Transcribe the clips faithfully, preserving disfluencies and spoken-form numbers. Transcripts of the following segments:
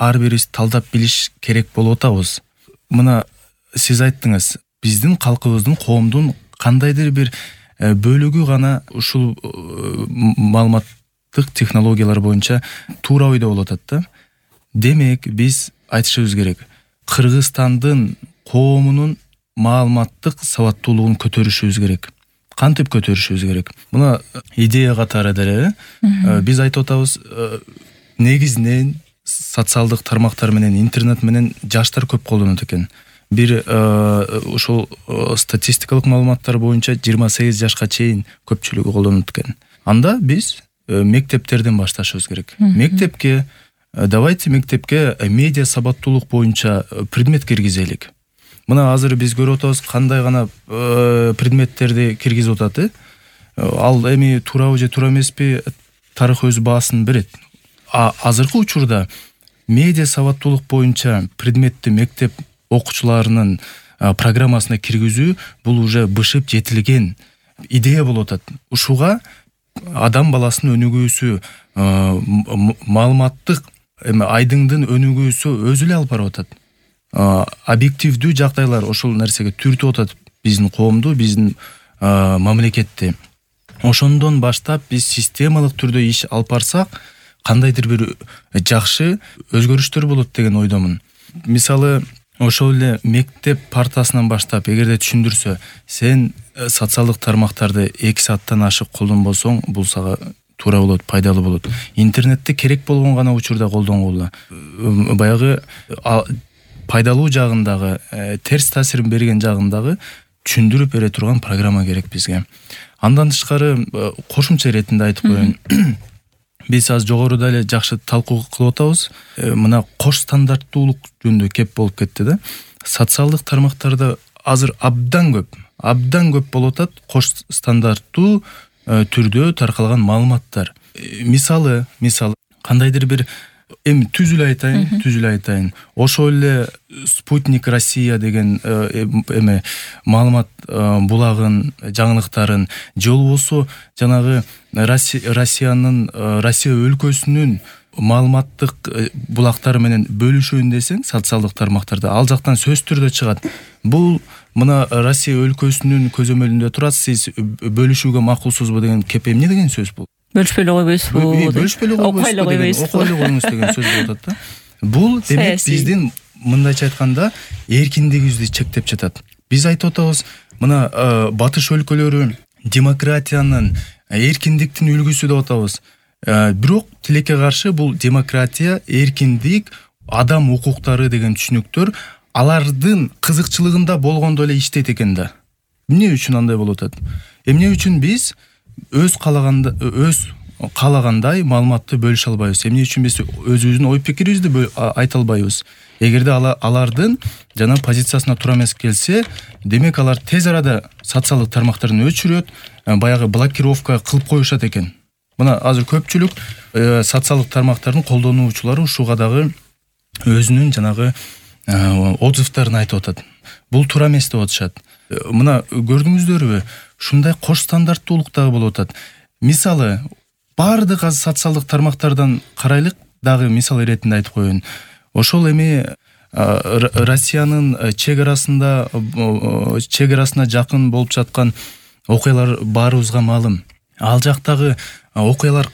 ар бирибиз талдап билиш керек болуп атабыз. Мына сиз айттыңыз, биздин калкыбыздын, коомдун кандайдыр бир бөлүгү гана ушул маалыматтык технологиялар боюнча туура ойдо болуп атат да. Демек, биз айтышыбыз керек. Кыргызстандын коомунун маалыматтык сабаттуулугун көтөрүшүбүз керек. Кантип көтөрүшүбүз керек? Мына идея катары деле биз айтып атабыз, негизинен социалдык тармактар менен, интернет менен жаштар көп колдонот экен. Бир ошол статистикалык маалыматтар боюнча жыйырма сегиз жашка чейин көпчүлүгү колдонот экен. Анда биз мектептерден башташыбыз керек. Мектепке, давайте мектепке медиа сабаттуулук боюнча предмет киргизелик. Мына азыр биз көрүп атабыз, кандай гана предметтерди киргизип атат. Ал эми туурабы же туура эмеспи, тарых өз баасын берет. А азыркы учурда медиа сабаттуулук боюнча предметти мектеп окуучуларынын программасына киргизүү бул уже бышып жетилген идея болуп атат. Ушуга адам баласынын өнүгүүсү, маалыматтык эми айдыңдын өнүгүүсү өзү эле алып барып атат. Объективдүү жагдайлар ошол нерсеге түртүп атат биздин коомду, биздин мамлекетти. Ошондон баштап биз системалык түрдө иш алып барсак, кандайдыр бир жакшы өзгөрүштөр болот деген ойдомун. Мисалы, ошол эле мектеп партасынан баштап эгерде түшүндүрсө, сен социалдык тармактарды эки сааттан ашык колдонбосоң, бул сага туура болот, пайдалуу болот. Интернетти керек болгон гана учурда колдонгула. Баягы пайдалуу жагындагы, терс таасирин берген жагындагы түшүндүрүп бере турган программа керек бизге. Андан тышкары кошумча иретинде айтып коеюн. Биз аз жогоруда эле жакшы талкуу кылып атабыз. Мына кош стандарттуулук жөнүндө кеп болуп кетти да. Социалдык тармактарда азыр абдан көп, абдан көп болуп атат кош стандарттуу түрдө таркалган маалыматтар. Мисалы, мисалы кандайдыр бир эми түзүлө айтайын, түзүлө айтайын. Ошол эле Спутник Россия деген эме маалымат булагын, жаңылыктарын, же болбосо жанагы Россиянын, Россия өлкөсүнүн маалыматтык булактары менен бөлүшөйүн десең, социалдык тармактарда ал жактан сөз түрдө чыгат. Бул мына Россия өлкөсүнүн көзөмөлүндө турат, сиз бөлүшүүгө макулсузбу деген кеп эмне деген сөз бул? Бөлүшпөй эле койбойсузбу? Бөлүшпөй эле койбойсузбу? Окуй эле коюңуз деген сөз болуп атат да. Бул демек биздин мындайча айтканда эркиндигибизди чектеп жатат. Биз айтып атабыз, мына батыш өлкөлөрү демократиянын, эркиндиктин үлгүсү деп атабыз. Бирок тилекке каршы бул демократия, эркиндик, адам укуктары деген түшүнүктөр алардын кызыкчылыгында болгондо эле иштейт экен да. Эмне үчүн андай болуп атат? Эмне үчүн биз өз калаганда, өз калагандай маалыматты бөлүшө албайбыз? Эмне үчүн биз өзүбүздүн ой пикирибизди айта албайбыз? Эгерде алардын жана позициясына туура эмес келсе, демек алар тез арада социалдык тармактарын өчүрөт, баягы блокировка кылып коюшат экен. Мына азыр көпчүлүк социалдык тармактардын колдонуучулары ушуга дагы өзүнүн жанагы отзывдарын айтып атат. Бул туура эмес деп атышат. Мына көрдүңүздөрбү? Ушундай кош стандарттуулук дагы болуп атат. Мисалы, бардык аз социалдык тармактардан карайлык дагы мисал иретинде айтып коеюн. Ошол эми Россиянын чек арасында, чек арасына жакын болуп жаткан окуялар баарыбызга маалым. Ал жактагы окуялар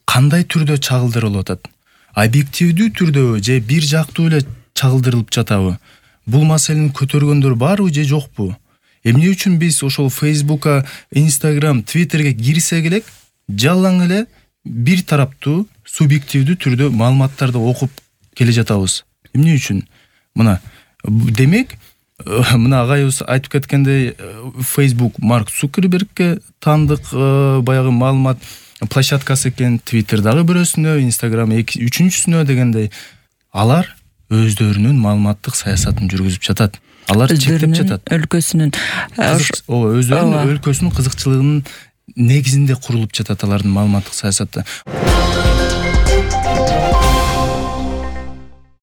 кандай түрдө чагылдырылып атат? Объективдүү түрдөбү же бир жактуу эле чагылдырылып жатабы? Бул маселени көтөргөндөр барбы же жокпу? Эмне үчүн биз ошол Фейсбукка, Инстаграм, Твиттерге кирсек элек жалаң эле бир тараптуу, субъективдүү түрдө маалыматтарды окуп келе жатабыз? Эмне үчүн? Мына демек, мына агайыбыз айтып кеткендей, Facebook Марк Цукербергке таандык баягы маалымат площадкасы экен, Twitter дагы бирөөсүнө, Instagram үчүнчүсүнө дегендей. Алар өздөрүнүн маалыматтык саясатын жүргүзүп жатат. Алар чектеп жатат. Өлкөсүнүн өздөрүнүн өлкөсүнүн кызыкчылыгынын негизинде курулуп жатат алардын маалыматтык саясаты.